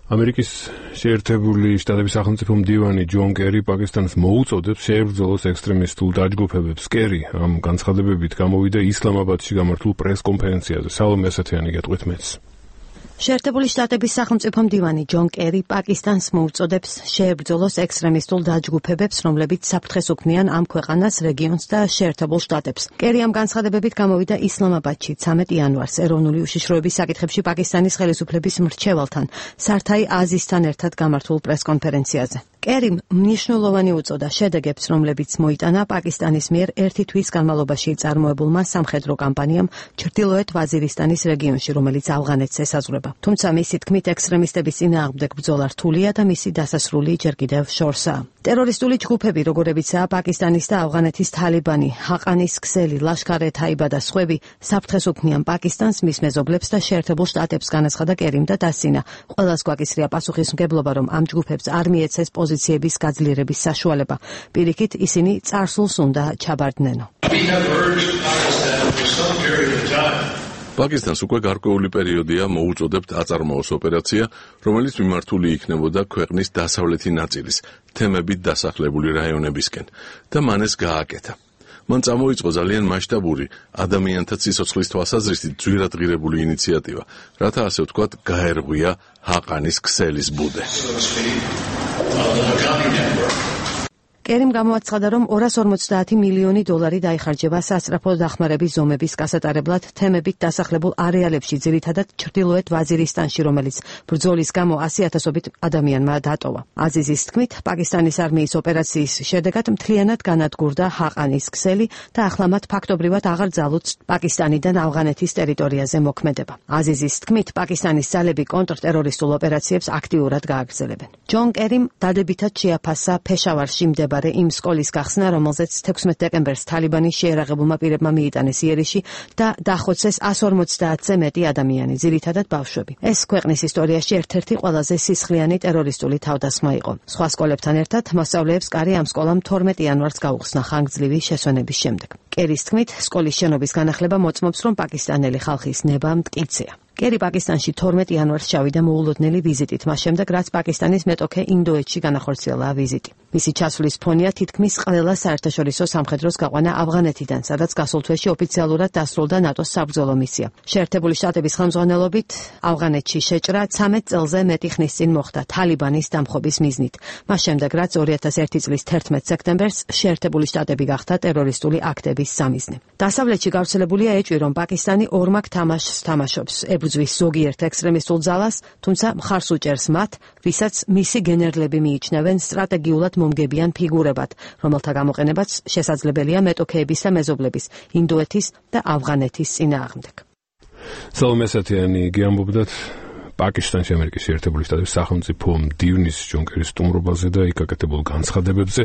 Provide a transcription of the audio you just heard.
ამერიკის შეერთებული შტატების სახელმწიფო მდივანი ჯონ კერი პაკისტანს მოუწოდებს შეებრძოლოს ექსტრემისტულ დაჯგუფებებს. კერი ამ განცხადებებით გამოვიდა ისლამაბადში გამართულ პრეს-კონფერენციაზე. სალომე ასათიანი გეტყვით მეც. შეერთებული შტატების სახელმწიფო მდივანი ჯონ კერი პაკისტანს მოუწოდებს შეებრძოლოს ექსტრემისტულ დაჯგუფებებს, რომლებიც საფრთხეს უქმნიან ამ ქვეყანას, რეგიონს და შეერთებულ შტატებს. კერი ამ განცხადებებით გამოვიდა ისლამაბადში 13 იანვარს ეროვნული უშიშროების საკითხებში პაკისტანის ხელისუფლების მრჩეველთან, სართაი აზისთან ერთად გამართულ პრეს-კონფერენციაზე. კერიმ მნიშვნელოვანი უწოდა შედეგებს, რომლებიც მოიტანა პაკისტანის მიერ ერთი თვის განმავლობაში წარმოებულმა სამხედრო კამპანიამ ჩრდილოეთ ვაზირისტანის რეგიონში, რომელიც ავღანეთს ესაზღვრება. თუმცა მისი თქმით ექსტრემისტების წინააღმდეგ ბრძოლა რთულია და მისი დასასრული ჯერ კიდევ შორსაა. ტერორისტული ჯგუფები, როგორებიცაა პაკისტანის და ავღანეთის თალიბანი, ჰაყანის ქსელი, ლაშქარ-ე-თაიბა და სხვები, საფრთხეს უქმნიან პაკისტანს, მის მეზობლებს და შეერთებულ შტატებს, განაცხადა კერიმ და დასცინა. ყველას გვაკისრია პასუხისმგებლობა, რომ ამ ჯგუფებს არ მიეცეს პოზიციების გაძლიერების საშუალება. პირიქით, ისინი წარსულს უნდა ჩაბარდნენო. პაკისტანს უკვე გარკვეული პერიოდია მოუწოდებთ აწარმოოს ოპერაცია, რომელიც მიმართული იქნებოდა ქვეყნის დასავლეთი ნაწილის, თემებით დასახლებული რაიონებისკენ და მან ეს გააკეთა. მან წამოიწყო ძალიან მასშტაბური ადამიანთა სიცოცხლის თვალსაზრისით ძვირადღირებული ინიციატივა, რათა ასე ვთქვათ, გაერღვია ჰაყანის ქსელის ბუდე. კერიმ გამოაცხადა, რომ 250 მილიონი დოლარი დაიხარჯება სასწრაფო დახმარების ზომების გასატარებლად თემებით დასახლებულ არეალებში, ძირითადად ჩრდილოეთ ვაზირისტანში, რომელიც ბრძოლის გამო 100,000-ობით ადამიანმა დატოვა. აზიზის თქმით, პაკისტანის არმიის ოპერაციის შედეგად მთლიანად განადგურდა ჰაყანის ქსელი და ახლა მათ ფაქტობრივად აღარ ძალუძს პაკისტანიდან ავღანეთის ტერიტორიაზე მოქმედება. აზიზის თქმით, პაკისტანის ძალები კონტრტერორისტულ ოპერაციებს აქტიურად გააგრძელებენ. ჯონ კერიმ დადებითად შეაფასა ფეშავარში მდებარე იმ სკოლის გახსნა, რომელზეც 16 დეკემბერს თალიბანის შეერაღებულმა პირებმა მიიტანეს იერიში და დახოცეს 150-ზე მეტი ადამიანი, ძირითადად ბავშვები. ეს ქვეყნის ისტორიაში ერთ-ერთი ყველაზე სისხლიანი ტერორისტული თავდასხმა იყო. სხვა სკოლებთან ერთად მოსწავლეებს კარი ამ სკოლამ 12 იანვარს გაუხსნა ხანგრძლივი შესვენების შემდეგ. კერის თქმით, სკოლის შენობის განახლება მოწმობს, რომ პაკისტანელი ხალხის ნება მტკიცეა. კერი პაკისტანში 12 იანვარს ჩავიდა მოულოდნელი ვიზიტით, მას შემდეგ რაც პაკისტანის მეტოქე ინდოეთში განახორციელა ვიზიტი. მისი ჩასვლის ფონია თითქმის ყველა საერთაშორისო სამხედროს გაყვანა ავღანეთიდან, სადაც გასულ თვეში ოფიციალურად დასრულდა ნატოს საბრძოლო მისია. შეერთებული შტატების ხელმძღვანელობით ავღანეთში შეჭრა 13 წელზე მეტი ხნის წინ მოხდა თალიბანის დამხობის მიზნით. მას შემდეგ რაც 2001 წლის 11 სექტემბერს შეერთებული შტატები გახდა ტერორისტული აქტების სამიზნე. დასავლეთში გავრცელებულია ეჭვი, რომ პაკისტანი ორმაგ თამაშს თამაშობს. ებრძვის ზოგიერთ ექსტრემისტულ ძალას, თუმცა მხარს უჭერს მათ, ვისაც მისი გენერლები მიიჩნევენ სტრატეგიულად მომგებიან ფიგურებად, რომელთა გამოყენებაც შესაძლებელია მეტოქეების და მეზობლების, ინდოეთის და ავღანეთის წინააღმდეგ. სალომე ასათიანი გიამბობდათ პაკისტანში ამერიკის შეერთებული შტატების სახელმწიფო მდივნის ჯონ კერის სტუმრობაზე და იქ გაკეთებულ განცხადებებზე.